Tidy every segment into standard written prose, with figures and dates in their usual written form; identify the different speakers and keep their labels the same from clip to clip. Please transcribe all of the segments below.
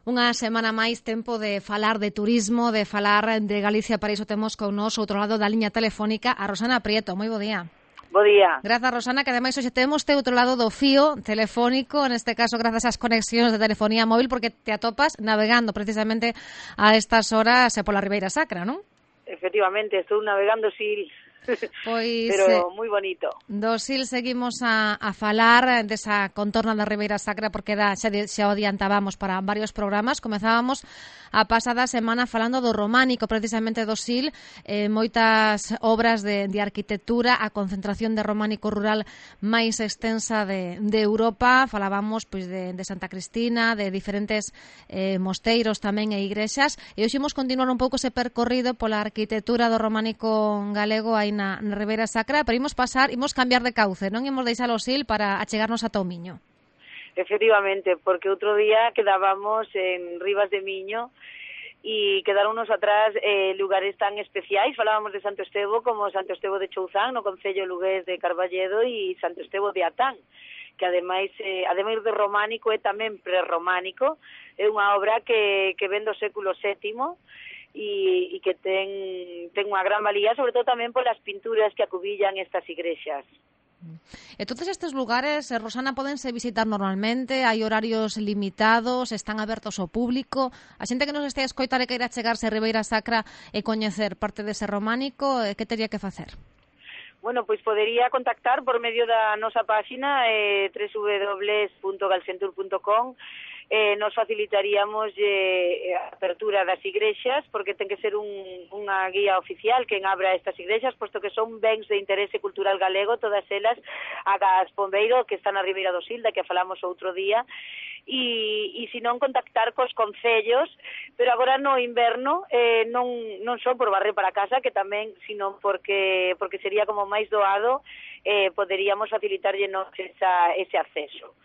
Speaker 1: Unha semana máis, tempo de falar de turismo, de falar de Galicia. Para iso temos con nos, outro lado da liña telefónica, a Rosana Prieto. Moi bo día.
Speaker 2: Bo día.
Speaker 1: Grazas, Rosana, que ademais hoxe temos outro lado do fío telefónico, neste caso grazas ás conexións de telefonía móvil, porque te atopas navegando precisamente a estas horas pola Ribeira Sacra, non?
Speaker 2: Efectivamente, estou navegando Sil.
Speaker 1: Pois,
Speaker 2: pero moi bonito.
Speaker 1: Do Sil seguimos a falar desa contorna da Ribeira Sacra, porque xa o adiantábamos para varios programas. Comezábamos a pasada semana falando do románico, precisamente do Sil, moitas obras de arquitectura, a concentración de románico rural máis extensa de Europa. Falábamos pois de Santa Cristina, de diferentes mosteiros tamén e igrexas, e hoxe imos continuar un pouco ese percorrido pola arquitectura do románico galego aí na Ribeira Sacra, pero imos cambiar de cauce, non imos deixar o Sil para achegarnos a Miño.
Speaker 2: Efectivamente, porque outro día quedábamos en Rivas de Miño e quedaronnos atrás lugares tan especiais. Falábamos de Santo Estevo como Santo Estevo de Chouzán, no concello lugués de Carballedo, e Santo Estevo de Atán, que ademais de románico é tamén prerrománico. É unha obra que ven do século VII e que ten unha gran valía, sobre todo tamén polas pinturas que acubillan estas igrexas.
Speaker 1: Entonces estes lugares, Rosana, podense visitar normalmente? Hai horarios limitados? Están abertos ao público? A xente que nos este a escoitar e queira chegarse a Ribeira Sacra e coñecer parte dese románico, que teria que facer?
Speaker 2: Bueno, pois podería contactar por medio da nosa páxina www.galcentur.com. Nos facilitaríamos a apertura das igrexas, porque ten que ser unha guía oficial quen abra estas igrexas, posto que son bens de interese cultural galego, todas elas, a Gas Pombeiro, que está na Ribeira do Sil, da que falamos outro día, e se non contactar cos concellos, pero agora no inverno non só por barrer para casa, que tamén, sino porque sería como máis doado, poderíamos facilitarllenos ese acceso.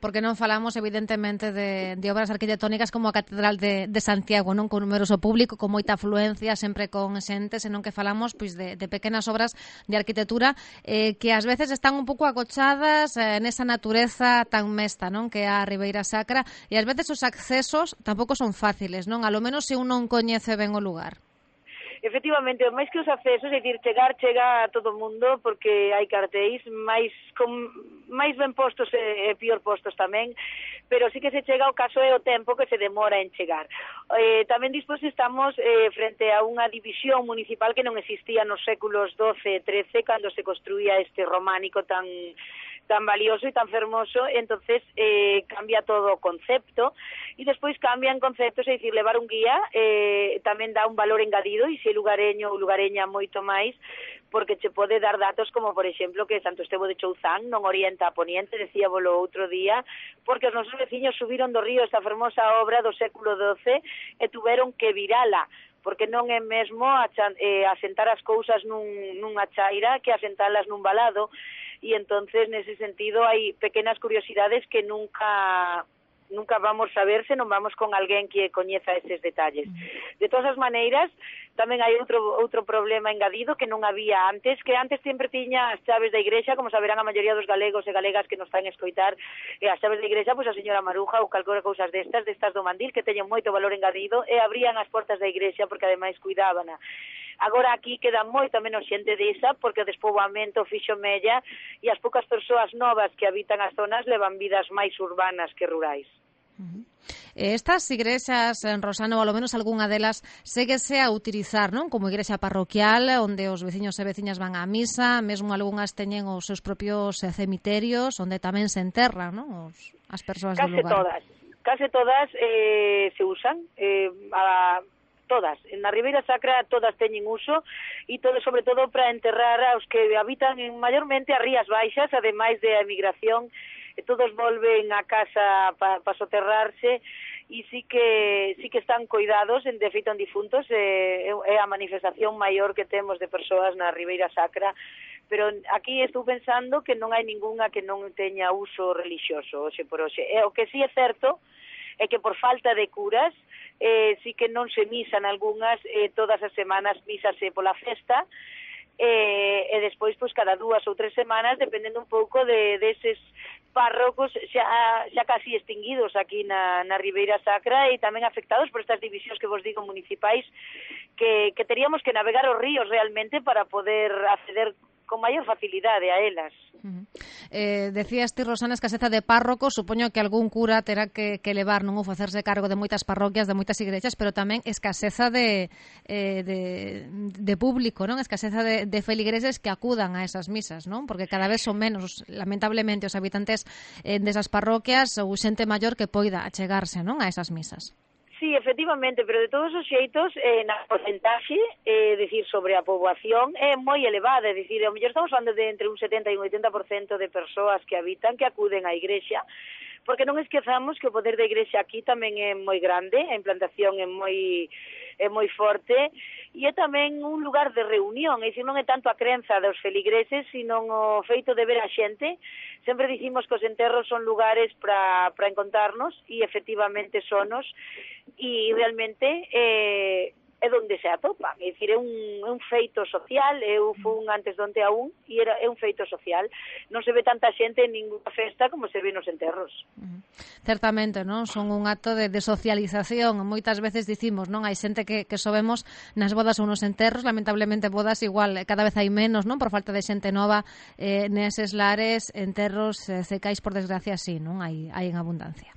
Speaker 1: Porque non falamos, evidentemente, de obras arquitectónicas como a Catedral de Santiago, non, con numeroso público, con moita afluencia, sempre con xente, senón que falamos pois de pequenas obras de arquitectura que ás veces están un pouco agochadas nesa natureza tan mesta, non, que é a Ribeira Sacra, e ás veces os accesos tampouco son fáciles, non, a lo menos se un non coñece ben o lugar.
Speaker 2: Efectivamente, máis que os accesos, é dicir, chega a todo o mundo, porque hai cartéis máis ben postos e pior postos tamén, pero sí que se chega, o caso é o tempo que se demora en chegar. Tamén despois estamos frente a unha división municipal que non existía nos séculos XII e XIII, cando se construía este románico tan valioso e tan fermoso. Entonces cambia todo o concepto, e despois cambian conceptos, é dicir, levar un guía tamén dá un valor engadido, e se lugareño ou lugareña moito máis, porque che pode dar datos como, por exemplo, que Santo Estevo de Chouzán non orienta a poniente, decíabolo outro día, porque os nosos veciños subiron do río esta fermosa obra do século XII e tuveron que virala, porque non é mesmo asentar as cousas nunha chaira que asentalas nun valado. E entonces, nese sentido, hai pequenas curiosidades que nunca vamos a ver se non vamos con alguén que coñeza eses detalles. De todas as maneiras, tamén hai outro problema engadido que non había antes, que antes sempre tiña as chaves da igrexa, como saberán a maioría dos galegos e galegas que nos están a escoitar, as chaves da igrexa, pois a señora Maruja ou calquera cousas destas do mandil, que teñen moito valor engadido, e abrían as portas da igrexa porque ademais cuidábana. Agora aquí queda moita menos xente desa, porque o despoboamento fixo mella, e as poucas persoas novas que habitan as zonas levan vidas máis urbanas que rurais.
Speaker 1: Estas igrexas, Rosana, ou ao menos algunha delas, séguese a utilizar, non? Como igrexa parroquial, onde os veciños e veciñas van á misa, mesmo algunhas teñen os seus propios cemiterios, onde tamén se enterran, non? As persoas do lugar.
Speaker 2: Case todas se usan, todas. Na Ribeira Sacra todas teñen uso, e todo, sobre todo, para enterrar aos que habitan maiormente as rías baixas, ademais de a emigración, todos volven a casa para soterrarse, e sí que están coidados, de feito en difuntos, é a manifestación maior que temos de persoas na Ribeira Sacra, pero aquí estou pensando que non hai ningunha que non teña uso religioso hoxe por hoxe. O que sí é certo é que por falta de curas sí que non se misan algunhas, todas as semanas mísase pola festa, e despois, pois, cada 2 ou 3 semanas, dependendo un pouco deses párrocos xa casi extinguidos aquí na Ribeira Sacra e tamén afectados por estas divisións que vos digo municipais que teríamos que navegar os ríos realmente para poder acceder con maior facilidade a elas.
Speaker 1: Decías ti, Rosana, escaseza de párrocos, supoño que algún cura terá que levar, non, ou facerse cargo de moitas parroquias, de moitas igrexas, pero tamén escaseza de público, non? Escaseza de feligreses que acudan a esas misas, non? Porque cada vez son menos, lamentablemente, os habitantes desas parroquias ou xente maior que poida achegarse, non, a esas misas.
Speaker 2: Sí, efectivamente, pero de todos os xeitos, na porcentaxe, decir, sobre a poboación, é moi elevada, é dicir, ao mellor estamos falando de entre un 70 e un 80% de persoas que habitan, que acuden á igrexa, porque non esquezamos que o poder da igrexa aquí tamén é moi grande, a implantación é moi forte, e é tamén un lugar de reunión, é dicir, non é tanto a crenza dos feligreses, sino o feito de ver a xente. Sempre dicimos que os enterros son lugares para encontrarnos, e efectivamente sonos, e realmente é onde se atopan, é dicir, é un feito social, eu fun antes de onte a un, e é un feito social. Non se ve tanta xente en ninguna festa como se ve nos enterros.
Speaker 1: Certamente, non? Son un acto de socialización. Moitas veces dicimos, non? Hai xente que só vemos nas bodas ou nos enterros, lamentablemente bodas igual cada vez hai menos, non? Por falta de xente nova neses lares, enterros cecais, por desgracia, sí, non? Hai en abundancia.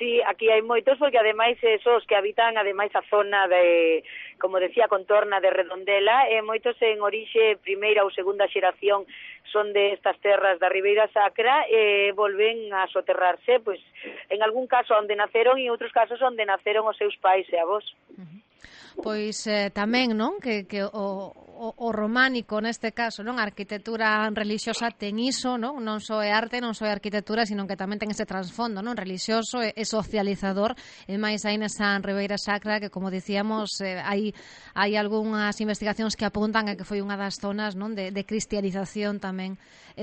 Speaker 2: Sí, aquí hai moitos, porque ademais esos que habitan ademais a zona de, como decía, contorna de Redondela, moitos en orixe primeira ou segunda xeración son de estas terras da Ribeira Sacra e volven a soterrarse, pois en algún caso onde naceron e en outros casos onde naceron os seus pais e avós.
Speaker 1: Pois tamén, non, que o románico neste caso, non, a arquitectura relixiosa ten iso, non só é arte, non só é arquitectura, sino que tamén ten ese trasfondo, non, relixioso e socializador, e máis aí nesa Ribeira Sacra que, como dicíamos, hai algunhas investigacións que apuntan a que foi unha das zonas, non, de cristianización tamén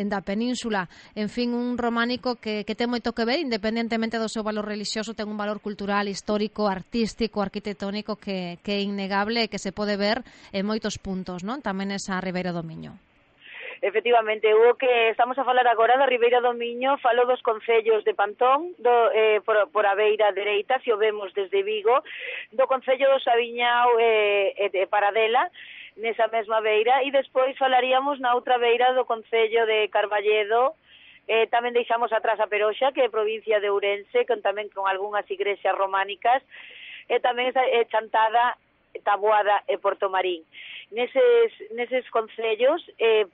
Speaker 1: da península. En fin, un románico que ten moito que ver, independentemente do seu valor relixioso, ten un valor cultural, histórico, artístico, arquitectónico que é innegable e que se pode ver en moitos puntos, non? Tamén esa Ribeira do Miño.
Speaker 2: Efectivamente, o que estamos a falar agora da Ribeira do Miño, falo dos concellos de Pantón, por a beira dereita, se o vemos desde Vigo, do concello do Sabiñao e de Paradela, nesa mesma beira, e despois falaríamos na outra beira do concello de Carballedo. Tamén deixamos atrás a Peroxa, que é provincia de Ourense, tamén con algunhas igrexas románicas, e tamén Chantada, Taboada e Portomarín. Neses concellos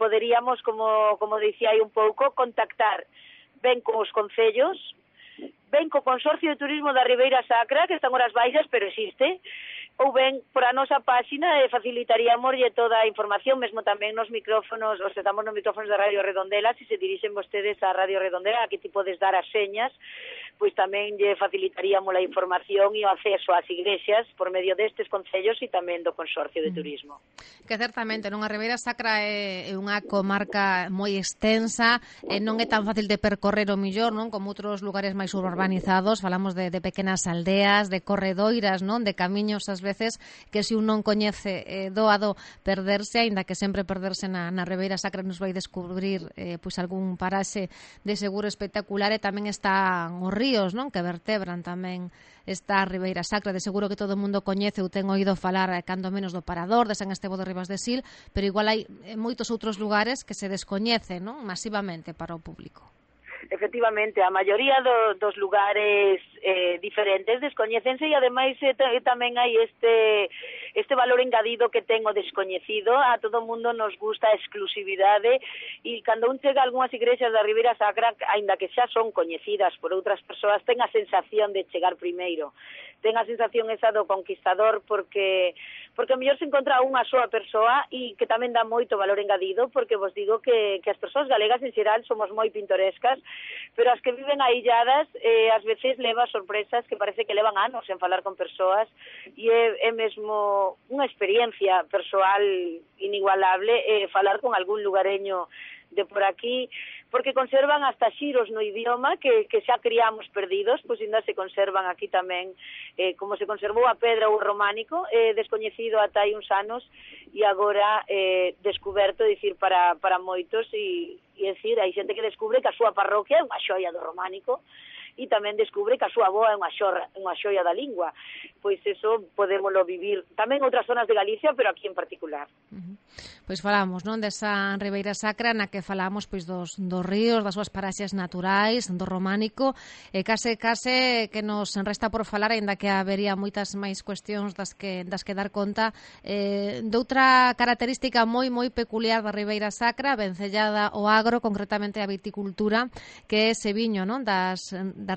Speaker 2: poderíamos, como dicía aí un pouco, contactar ben con os concellos, ben co Consorcio de Turismo da Ribeira Sacra, que están horas baixas, pero existe, ou ben por a nosa páxina facilitaríamos toda a información, mesmo tamén nos micrófonos, os estamos nos micrófonos da Radio Redondela, se dirixen vostedes a Radio Redondela, a que ti podes dar as señas, pois tamén lle facilitaríamos a información e o acceso ás igrexas por medio destes concellos e tamén do Consorcio de Turismo.
Speaker 1: Que certamente, non, a Ribeira Sacra é unha comarca moi extensa, non é tan fácil de percorrer o millor, non, como outros lugares máis urbanizados, falamos de pequenas aldeas, de corredoiras, non, de camiños ás veces que se un non coñece doado perderse, aínda que sempre perderse na Ribeira Sacra nos vai descubrir pois algún paraxe de seguro espectacular, e tamén están os ríos, non, que vertebran tamén esta Ribeira Sacra. De seguro que todo o mundo coñece ou ten oído falar cando menos do Parador, de San Estevo de Ribas de Sil, pero igual hai moitos outros lugares que se descoñecen, non, masivamente para o público.
Speaker 2: Efectivamente, a maioría dos lugares diferentes descoñécense, e ademais tamén hai este valor engadido que ten o descoñecido. A todo mundo nos gusta a exclusividade, e cando un chega a algunhas igrexas da Ribeira Sacra, aínda que xa son coñecidas por outras persoas, ten a sensación de chegar primeiro, ten a sensación esa do conquistador, porque a mellor se encontra unha soa persoa, e que tamén dá moito valor engadido, porque vos digo que as persoas galegas en xeral somos moi pintorescas, pero as que viven ailladas ás veces leva sorpresas que parece que levan anos en falar con persoas, e é mesmo unha experiencia persoal inigualable falar con algún lugareño de por aquí, porque conservan hasta xiros no idioma que xa criamos perdidos, pois ainda se conservan aquí tamén, como se conservou a pedra ou o románico, descoñecido ata hai uns anos, e agora descuberto, dicir, para moitos, e dicir, hai xente que descubre que a súa parroquia é unha xoia do románico, e tamén descubre que a súa avoa é unha xoia da lingua. Pois eso podémoslo vivir tamén en outras zonas de Galicia, pero aquí en particular.
Speaker 1: Pois falamos, non, desa Ribeira Sacra na que falamos pois dos ríos, das súas paraxes naturais, do románico, e case que nos resta por falar, aínda que habería moitas máis cuestións das que dar conta, doutra característica moi peculiar da Ribeira Sacra, vencellada ao agro, concretamente a viticultura, que é ese viño, non, da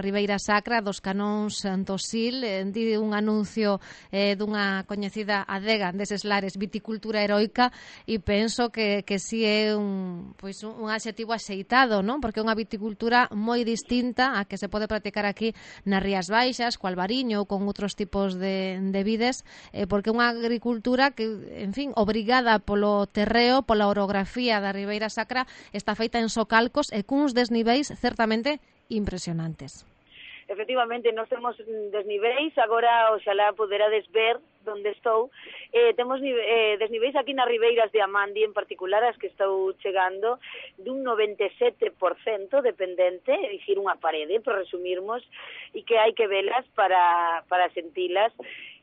Speaker 1: Ribeira Sacra, dos canóns do Sil, di un anuncio dunha coñecida adega deses lares, viticultura heroica, e penso que si é un adxetivo axeitado, non? Porque é unha viticultura moi distinta a que se pode practicar aquí nas Rías Baixas, co Albariño ou con outros tipos de vides, porque é unha agricultura que, en fin, obrigada polo terreo, pola orografía da Ribeira Sacra, está feita en socalcos e cuns desniveis certamente impresionantes.
Speaker 2: Efectivamente, nós temos desniveis, agora oxalá poderades ver onde estou, temos desniveis aquí nas ribeiras de Amandi en particular, as que estou chegando, dun 97% dependente, é dicir, unha parede, por resumirmos, e que hai que velas para sentilas.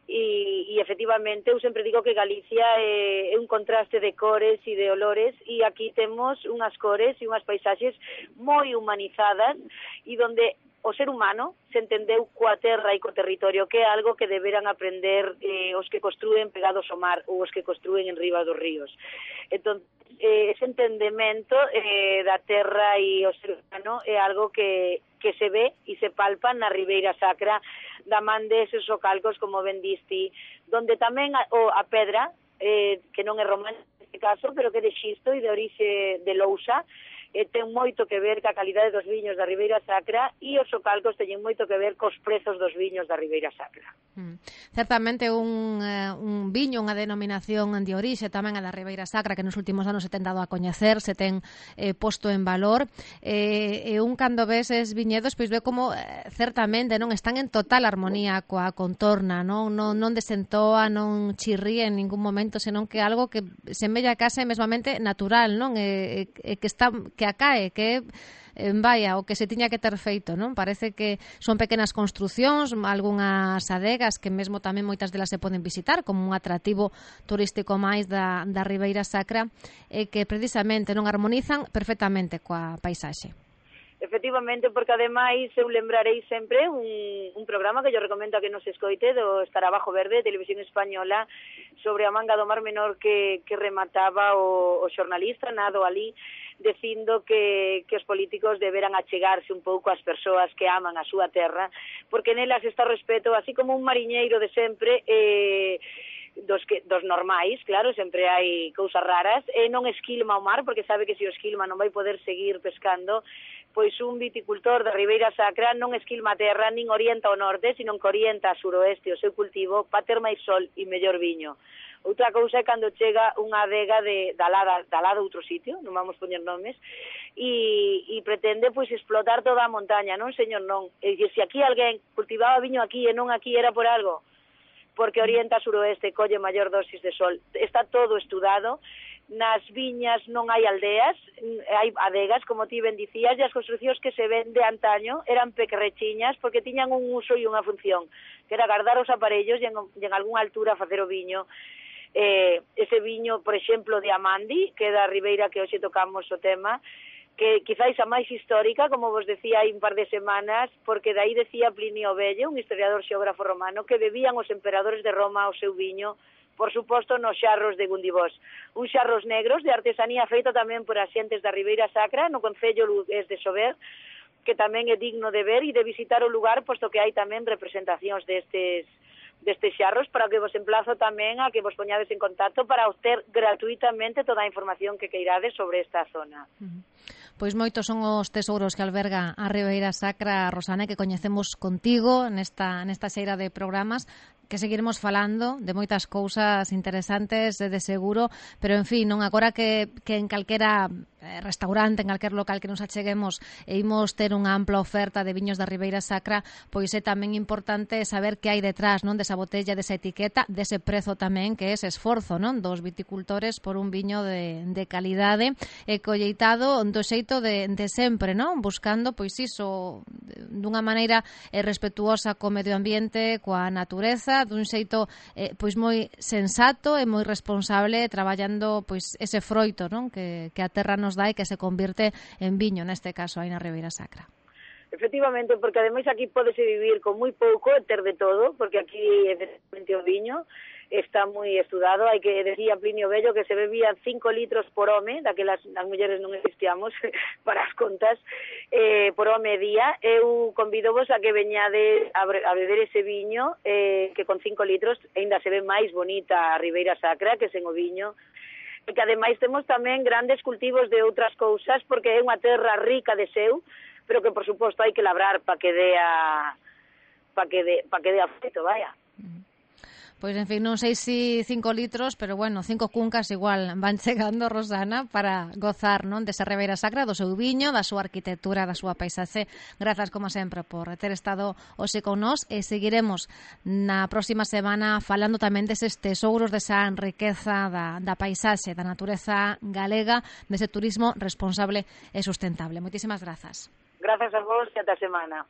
Speaker 2: E efectivamente eu sempre digo que Galicia é un contraste de cores e de olores, e aquí temos unhas cores e unhas paisaxes moi humanizadas e donde o ser humano se entendeu coa terra e co territorio, que é algo que deberan aprender os que construen pegados ao mar ou os que construen en riba dos ríos. Entón, ese entendemento da terra e o ser humano é algo que se ve e se palpa na Ribeira Sacra da man deses socalcos, como ben diste, donde tamén a pedra, que non é romana neste caso, pero que é de xisto e de orixe de lousa, ten moito que ver ca calidade dos viños da Ribeira Sacra, e os socalcos teñen moito que ver cos prezos dos viños da Ribeira Sacra.
Speaker 1: Certamente un viño, unha denominación de orixe tamén a da Ribeira Sacra, que nos últimos anos se ten dado a coñecer, se ten posto en valor, e un cando ves es viñedos, pois ve como certamente non están en total armonía coa contorna, non desentoa, non chirría en ningún momento, senón que algo que semella case mesmamente natural, non? Que acae, que vaya, o que se tiña que ter feito, non? Parece que son pequenas construcións, algunhas adegas que mesmo tamén moitas delas se poden visitar como un atractivo turístico máis da Ribeira Sacra, que precisamente non armonizan perfectamente coa paisaxe.
Speaker 2: Efectivamente, porque ademais eu lembrarei sempre un programa que yo recomendo a que nos escoite, do Escarabajo Verde, de Televisión Española, sobre a manga do Mar Menor que remataba o xornalista Nado Ali, dicindo que os políticos deberan achegarse un pouco ás persoas que aman a súa terra, porque nelas está o respeto, así como un mariñeiro de sempre, dos normais, claro, sempre hai cousas raras, e non esquilma o mar, porque sabe que se o esquilma non vai poder seguir pescando. Pois un viticultor da Ribeira Sacra non esquilma a terra, nin orienta ao norte, sino que orienta a suroeste o seu cultivo para ter máis sol e mellor viño. Outra cousa é cando chega unha adega da lada outro sitio, non vamos poñer nomes, e pretende pois explotar toda a montaña, non, señor, non. E se aquí alguén cultivaba viño aquí e non aquí era por algo, porque orienta a suroeste, colle maior dosis de sol. Está todo estudado. Nas viñas non hai aldeas, hai adegas, como ti ben dicías, e as construcións que se ven de antaño eran pequerrechiñas porque tiñan un uso e unha función, que era guardar os aparellos e en algunha altura facer o viño. Ese viño, por exemplo, de Amandi, que é da Ribeira que hoxe tocamos o tema, que quizáis a máis histórica, como vos decía hai un par de semanas, porque dai decía Plinio Vello, un historiador xeógrafo romano, que bebían os emperadores de Roma o seu viño, por suposto, nos xarros de Gundibós. Un xarros negros de artesanía feito tamén por axentes da Ribeira Sacra, no concello lugués de Sober, que tamén é digno de ver e de visitar o lugar, posto que hai tamén representacións destes xarros, para que vos emplazo tamén a que vos poñades en contacto para obter gratuitamente toda a información que queirades sobre esta zona.
Speaker 1: Pois moitos son os tesouros que alberga a Ribeira Sacra, Rosana, que coñecemos contigo nesta xeira de programas, que seguiremos falando de moitas cousas interesantes de seguro, pero en fin, non agora que en calquera restaurante, en calquer local que nos acheguemos e imos ter unha ampla oferta de viños da Ribeira Sacra, pois é tamén importante saber que hai detrás, non, desa botella, desa etiqueta, dese prezo tamén, que é ese esforzo, non, dos viticultores por un viño de calidade e colleitado do xeito de sempre, non, buscando, pois iso, dunha maneira respetuosa co medio ambiente, coa natureza, dun xeito pois moi sensato e moi responsable, traballando pois ese froito, non, que a terra nos dá e que se convirte en viño, neste caso aí na Ribeira Sacra.
Speaker 2: Efectivamente, porque ademais aquí pódese vivir con moi pouco e ter de todo, porque aquí efectivamente o viño está moi estudado. Hai que, decía Plinio Bello, que se bebían 5 litros por home, daquelas as mulleres non existíamos para as contas, por home día. Eu convidovos a que veñades a beber ese viño, que con 5 litros ainda se ve máis bonita a Ribeira Sacra que sen o viño, e que ademais temos tamén grandes cultivos de outras cousas, porque é unha terra rica de seu, pero que por suposto hai que labrar para que dea afeto, vaya.
Speaker 1: Pois, en fin, non sei se 5 litros, pero bueno, 5 cuncas igual van chegando, Rosana, para gozar, non, desa Ribeira Sacra, do seu viño, da súa arquitectura, da súa paisaxe. Grazas, como sempre, por ter estado hoxe con nós, e seguiremos na próxima semana falando tamén deses tesouros, desa riqueza da paisaxe, da natureza galega, dese turismo responsable e sustentable. Moitísimas grazas.
Speaker 2: Grazas a vos e ata a semana.